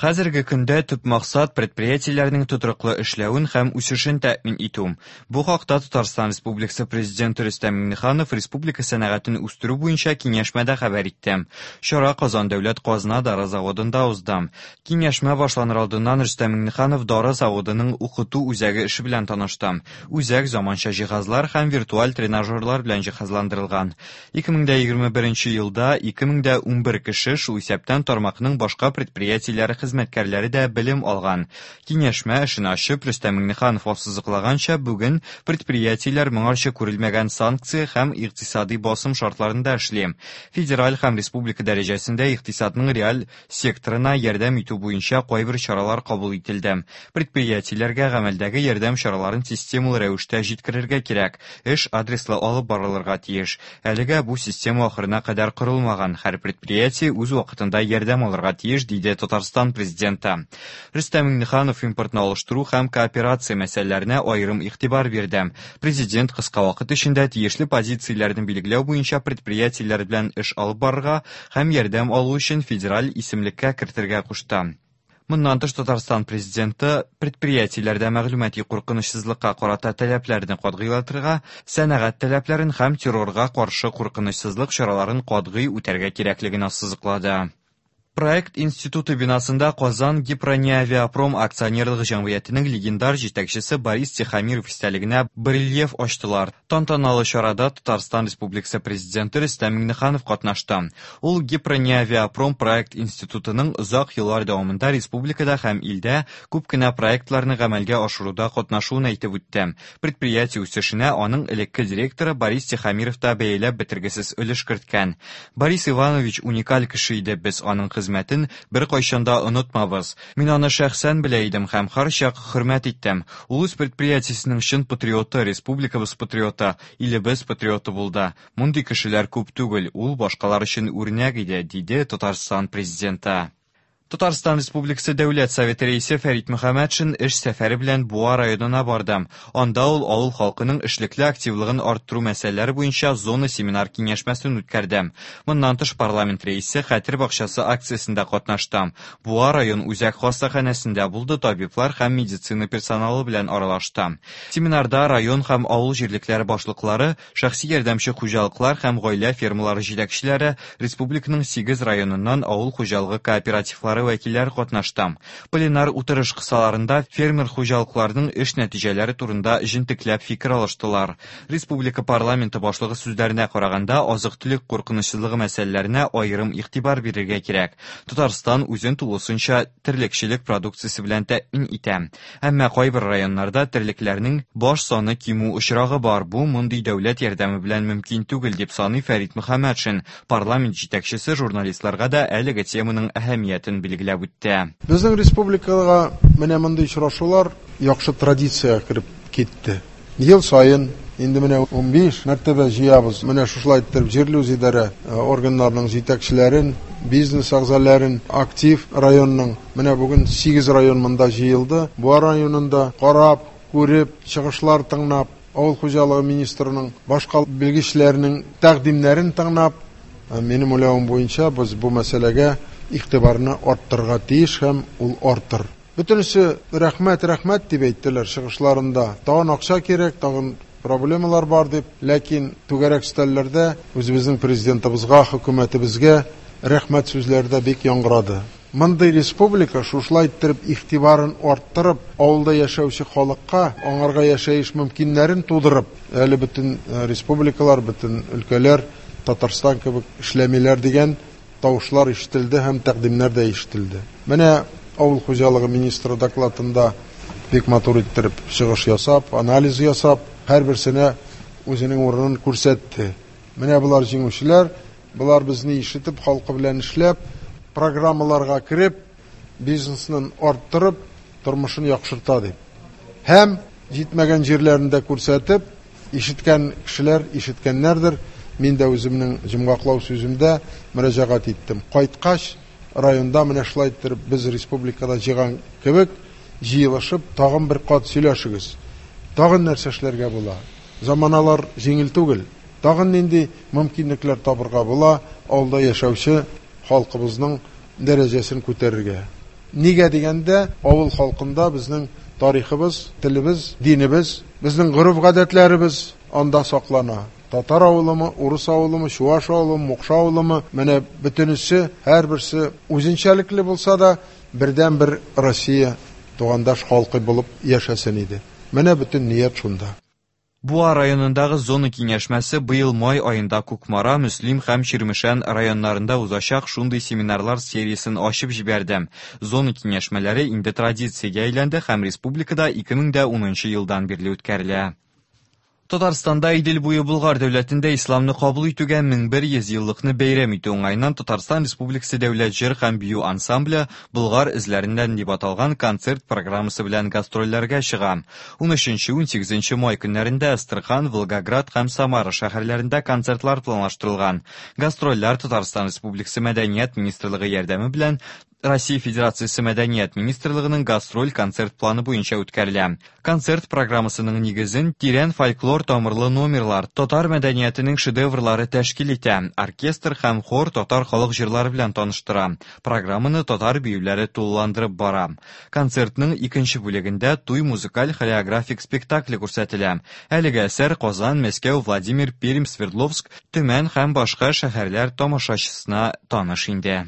Хәзерге көндә төп максат предприятиеләрнең тотрыклы эшләвен һәм үсешен тәэмин итү. Бу хакта Татарстан Республикасы Президенты Рөстәм Миңнеханов республика сәнәгатен үстерү буенча киңәшмәдә хәбәр итте. Чара Казан дәүләт казна дары заводында узды. Киңәшмә башланыр алдыннан Рөстәм Миңнеханов дары заводының укыту үзәге эше белән танышты. Үзәк заманча җиһазлар һәм виртуаль тренажерлар белән җиһазландырылган. 2021 елда 2011 кеше, шул исәптән тармакның башка предприятиеләре хезмәткәрләре дә белем алган. Киңәшмә эшен ачып, Рөстәм Миңнеханов ассызыклаганча, бүген предприятиеләр моңарчы күрелмәгән санкция һәм икътисадый басым шартларында эшли. Федераль һәм республика дәрәҗәсендә икътисадның реаль секторына ярдәм итү буенча кайбер чаралар кабул ителде. Предприятиеләргә гамәлдәге ярдәм чараларын системалы рәвештә җиткерергә кирәк. Эш адреслы алып барылырга тиеш. Әлегә бу система ахырына кадәр корылмаган. Һәр предприятие үз вакытында ярдәм алырга тиеш, диде Татарстан Президенты. Рөстәм Миңнеханов импортны алыштыру һәм кооперация мәсьәләләренә аерым игътибар бирде. Президент кыска вакыт эчендә тиешле позицияләрне билгеләү буенча предприятиеләр белән эш алып барырга һәм ярдәм алу өчен федераль исемлеккә кертергә кушты. Моннан тыш Татарстан Президенты предприятиеләрдә мәгълүмати куркынычсызлыкка карата таләпләрне катгыйлатырга, сәнәгать таләпләрен һәм террорга каршы куркынычсызлык чараларын катгый үтәргә кирәклеген ассызыклады. Проект институты бинасында Казан Гипрониавиапром акционерлык җәмгыятенең легендар җитәкчесе Борис Тихомиров истәлегенә барельеф ачтылар. Тантаналы чарада Татарстан Республикасы Президенты Рөстәм Миңнеханов катнашты. Ул Гипрониавиапром проект институтының озак еллар дәвамында республикада һәм илдә күп кенә проектларны гамәлгә ашыруда катнашуын әйтеп үтте. Предприятие үсешенә аның элекке директоры Борис Тихомиров та бәяләп бетергесез өлеш керткән. Борис Иванович уникаль кеше иде, без аның хезмәтен беркайчан да онытмабыз. Мин аны шәхсән белә идем һәм һәрчак хөрмәт иттем. Ул үз предприятиесенең чын патриоты, республикабыз патриоты, илебез патриоты булды. Мондый кешеләр күп түгел, ул башкалар өчен үрнәк иде, диде Татарстан Президенты. Татарстан Республикасы Дәүләт Советы Рәисе Фәрит Мөхәммәтшин эш сәфәре белән Буа районына барды. Анда ул авыл халкының эшлекле активлыгын арттыру мәсьәләләре буенча зона семинар киңәшмәсен үткәрде. Моннан тыш парламент рәисе Хәтер бакчасы акциясендә катнашты. Буа район үзәк хастаханәсендә булды, табиблар һәм медицина персоналы белән аралашты. Семинарда район һәм авыл җирлекләре башлыклары, Шәхси ярдәмче хуҗалыклар һәм гаилә фермалары җитәкчеләре, республиканың сигез районыннан авыл хуҗалыгы кооперативлары вәкилләре катнашты. Пленар утырыш кысаларында фермер хуҗалыкларының эш нәтиҗәләре турында җентекләп фикер алыштылар. Республика парламенты башлыгы сүзләренә караганда, азык-төлек куркынычсызлыгы мәсьәләләренә аерым игътибар бирергә кирәк. Татарстан үзен тулысынча терлекчелек продукциясе белән тәэмин итә. Әмма кайбер районнарда терлекләрнең баш саны кимү очрагы бар, бу мондый дәүләт ярдәме белән мөмкин түгел, дип саный Фәрит Мөхәммәтшин. Парламент җитәкчесе журналистларга да әлеге теманың әһәмиятен билгеләп үтте. Безнең республикага менә мондый очрашулар яхшы традициягә кереп китте. Ел саен инде менә 15 мәртәбә җыябыз. Менә шушылай иттереп җирле үзидарә органнарының җитәкчеләрен, бизнес әгъзаләрен, актив районның, менә бүген 8 район монда җыелды. Буа районында карап, күреп, чыгышлар тыңлап, авыл хуҗалыгы министрының, башка белгечләрнең тәкъдимнәрен тыңлап, минем уйлавым буенча, без бу мәсьәләгә игътибарны арттырырга тиеш һәм ул артыр. Бөтенесе рәхмәт, рәхмәт дип әйттеләр чыгышларында. Тагын акча кирәк, тагын проблемалар бар дип. Ләкин түгәрәк өстәлләрдә үзебезнең Президентыбызга, хөкүмәтебезгә рәхмәт сүзләре дә бик яңгырады. Мондый республика шушылай иттереп игътибарын арттырып, авылда яшәүче халыкка, аңарга яшәеш мөмкиннәрен тудырып, әле бөтен республикалар, бөтен өлкәләр Татарстан кебек эшләмиләр дигән тавышлар ишетелде һәм тәкъдимнәр дә ишетелде. Менә авыл хуҗалыгы министры докладында бик матур иттереп чыгыш ясап, анализ ясап, һәрберсенә үзенең урынын күрсәтте. Менә болар җиңүчеләр, болар безне ишетеп, халкы белән эшләп, программаларга кереп, бизнесны арттырып, тормышын яхшырта дип. Һәм җитмәгән җирләрен дә күрсәтеп, Ишеткән кешеләр ишеткәннәрдер, мин дә үземнең җомгаклау сүземдә мөрәҗәгать иттем. Кайткач, районда менә шулай иттереп без республикада җыйган кебек, җыелышып, тагын бер кат сөйләшегез. Тагын нәрсә эшләргә була? Заманалар җиңел түгел. Тагын нинди мөмкинлекләр табырга була авылда яшәүче халкыбызның дәрәҗәсен күтәрергә? Нигә дигәндә, авыл халкында безнең тарихыбыз, телебез, динебез, безнең гореф-гадәтләребез анда саклана. Татар авылымы, урыс авылымы, чуаш авылымы, мукшы авылымы, менә бөтенесе, һәрберсе үзенчәлекле булса да, бердәнбер Россия тугандаш халкы булып яшәсен иде. Менә бөтен ният шунда. Буа районындагы зона киңәшмәсе быел май аенда Кукмара, Мөслим һәм Чирмешән районнарында узачак шундый семинарлар сериясен ачып җибәрде. Зона киңәшмәләре инде традициягә әйләнде һәм республикада 2010 елдан бирле үткәрелә. Татарстанда Идел буе Болгар дәүләтендә исламны кабул итүгә 1100 еллыкны бәйрәм итү уңаеннан Татарстан Республикасы дәүләт җыр һәм бию ансамбле Болгар эзләреннән дип аталган концерт программасы белән гастрольләргә чыга. 13-18 май көннәрендә Әстерхан, Волгоград һәм Самара шәһәрләрендә концертлар планлаштырылган. Гастрольләр Татарстан Республикасы Мәдәният министрлыгы ярдәме белән Россия Федерациясе Мәдәният министрлыгының гастроль-концерт планы буенча үткәрелә. Концерт программасының нигезен тирән фольклор тамырлы номерлар, татар мәдәниятенең шедеврлары тәшкил итә. Оркестр һәм хор татар халык җырлары белән таныштыра. Программаны татар биюләре тулыландырып бара. Концертның икенче бүлегендә туй музыкаль хореографик спектакле күрсәтелә. Әлеге әсәр Казан, Мәскәү, Владимир, Пермь, Свердловск, Төмән һәм башка шәһәрләр тамашачысына таныш инде.